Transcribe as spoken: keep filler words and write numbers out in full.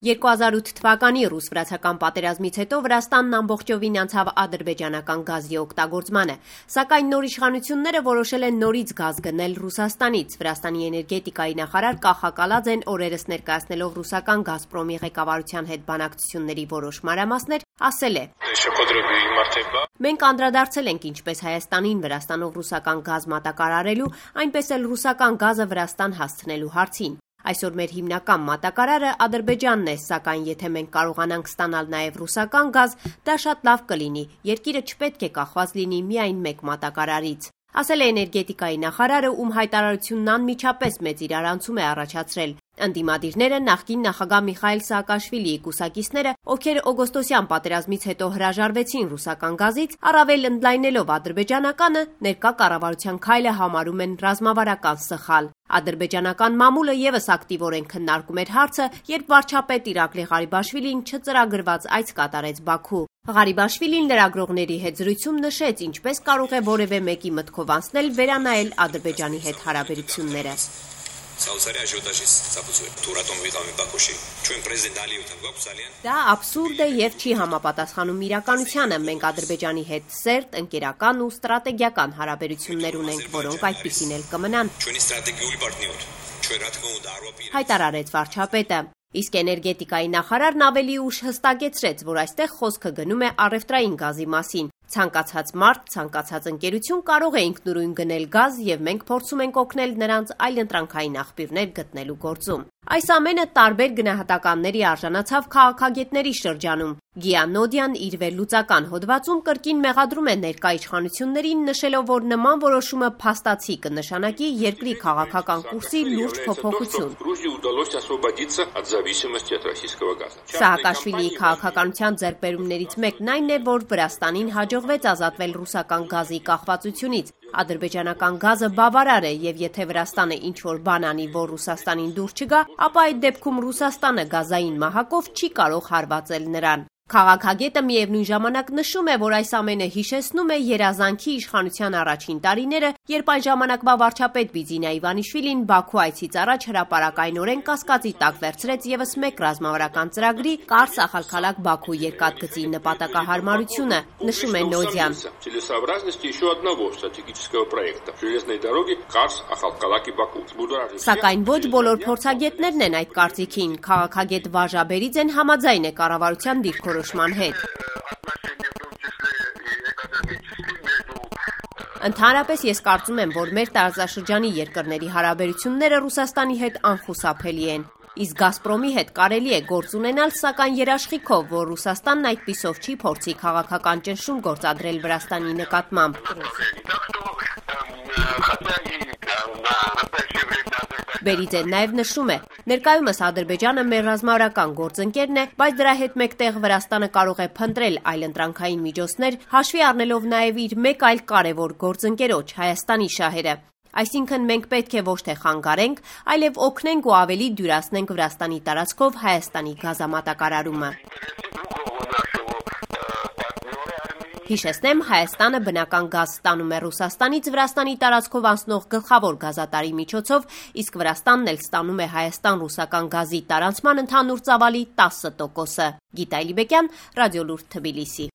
երկու հազար ութ թվականի ռուս-վրացական պատերազմից հետո Վրաստանն ամբողջովին անցավ ադրբեջանական գազի օգտագործմանը, սակայն նոր իշխանությունները որոշել են նորից գազ գնել Ռուսաստանից։ Վրաստանի էներգետիկայի նախարար Կախակալաձեն օրերս ներկայացնելով ռուսական «Գազպրոմի» ղեկավարության հետ բանակցությունների որոշ մանրամասներ, ասել է. «Մենք անդրադարձել ենք ինչպես Հայաստանին Վրաստանով ռուսական գազ մատակարարելու, այնպես էլ ռուսական գազը Վրաստան հասցնելու հարցին։ Այսօր մեր հիմնական մատակարարը Ադրբեջանն է, սակայն եթե մենք կարողանանք ստանալ նաև ռուսական գազ, դա շատ լավ կլինի, երկիրը չպետք է կախված լինի միայն մեկ մատակարարից», ասել է էներգետիկայի նախարարը, ում հայտարարությունն անմիջապես մեծ իրարանցում է առաջացրել։ Ընդդիմադիրները նախկին նախագահ Միխայիլ Սաակաշվիլիի կուսակիցները, ովքեր օգոստոսյան պատերազմից հետո հրաժարվեցին ռուսական գազից, առավել ընդլայնելով ադրբեջանականը, ներկա կառավարության քայլը համարում են ռազմավարական սխալ։ Ադրբեջանական մամուլը ևս ակտիվորեն քննարկում էր հարցը, երբ վարչապետ Իրակլի Ղարիբաշվիլին չծրագրված այց կատարեց Բաքու։ Ղարիբաշվիլին լրագրողների հետ զրույցում նշեց, ինչպես կարող է որևէ մեկի մտքով անցնել վերանայել Ադրբեջանի հետ հարաբերությունները։ Դա աբսուրդ է եւ չի համապատասխանում իրականությանը։ Մենք Ադրբեջանի հետ սերտ, ընկերական ու ստրատեգիական հարաբերություններ ունենք, որոնք այդպիսին էլ կմնան, հայտարարեց վարչապետը։ Իսկ էներգետիկայի նախարարն ավելի ուշ հստակեցրեց, որ այստեղ խոսքը գնում է առևտրային գազի մասին։ Ցանկացած մարդ, ցանկացած ընկերություն կարող է ինքնուրույն գնել գազ եւ մենք փորձում ենք օգնել նրանց այլընտրանքային աղբյուրներ գտնելու գործում։ Այս ամենը տարբեր գնահատականների արժանացավ քաղաքագետների շրջանում։ Գիանոդյան իր վերլուծական հոդվածում կրկին մեղադրում է ներկա իշխանություններին, նշելով, որ նման որոշումը փաստացի կնշանակի երկրի քաղաքական կուրսի լուրջ փոփոխություն։ Սաակաշվիլիի քաղաքականության ձեռքբերումներից մեկն այն է, որ Վրաստանին հաջողվեց ազատվել ռուսական գազի կախվածությունից։ Ադրբեջանական գազը բավարար է եւ եթե Վրաստանը ինչ-որ բան անի, որ Ռուսաստանին դուր չգա, ապա այդ դեպքում Ռուսաստանը գազային մահակով չի կարող հարվածել նրան։ Քաղաքագետը միևնույն ժամանակ նշում է, որ այս ամենը հիշեցնում է երազանքի իշխանության առաջին տարիները, երբ այն ժամանակվա վարչապետ Բիձինա Իվանիշվիլին Բաքու այցից առաջ հրապարակայնորեն կասկածի տակ վերցրեց ևս մեկ ռազմավարական ծրագրի՝ Կարս Ախալքալաք-Բաքու երկաթգծի նպատակահարմարությունը, նշում է Նոդյան։ Սակայն ոչ բոլոր փորձագետներն են այդ կարծիքին։ Քաղաքագետ Վաժա Բերիձեն համաձայն է կառավարության դիրքորոշման հետ։ Ընդհանրապես ես կարծում եմ, որ մեր տարածաշրջանի երկրների հարաբերությունները Ռուսաստանի հետ անխուսափելի են։ Իսկ «Գազպրոմի» հետ կարելի է գործ ունենալ, սակայն երաշխիքով, որ Ռուսաստանն այդպիսով չի փորձի քաղաքական ճնշում գործադրել Վրաստանի նկատմամբ։ Բերիձեն նաև նշում է. ներկայումս Ադրբեջանը մեր ռազմավարական գործընկերն է, բայց դրա հետ մեկտեղ Վրաստանը կարող է փնտրել այլընտրանքային միջոցներ, հաշվի առնելով նաև իր մեկ այլ կարևոր գործընկերոջ՝ Հայաստանի շահերը։ Այսինքն մենք պետք է ոչ թե խանգարենք, այլև օգնենք ու ավելի դյուրացնենք Վրաստանի տարածքով Հայաստանի գազամատակարարումը։ Հիշեցնեմ, Հայաստանը բնական գազ ստանում է Ռուսաստանից Վրաստանի տարածքով անցնող գլխավոր գազատարի միջոցով, իսկ Վրաստանն էլ ստանում է Հայաստան-ռուսական գազի տարանցման ընդհանուր ծավալի տասը տոկոսը։ Գիտա Իլիբեկյան, Ռադիոլուրդ, Թբիլիսի։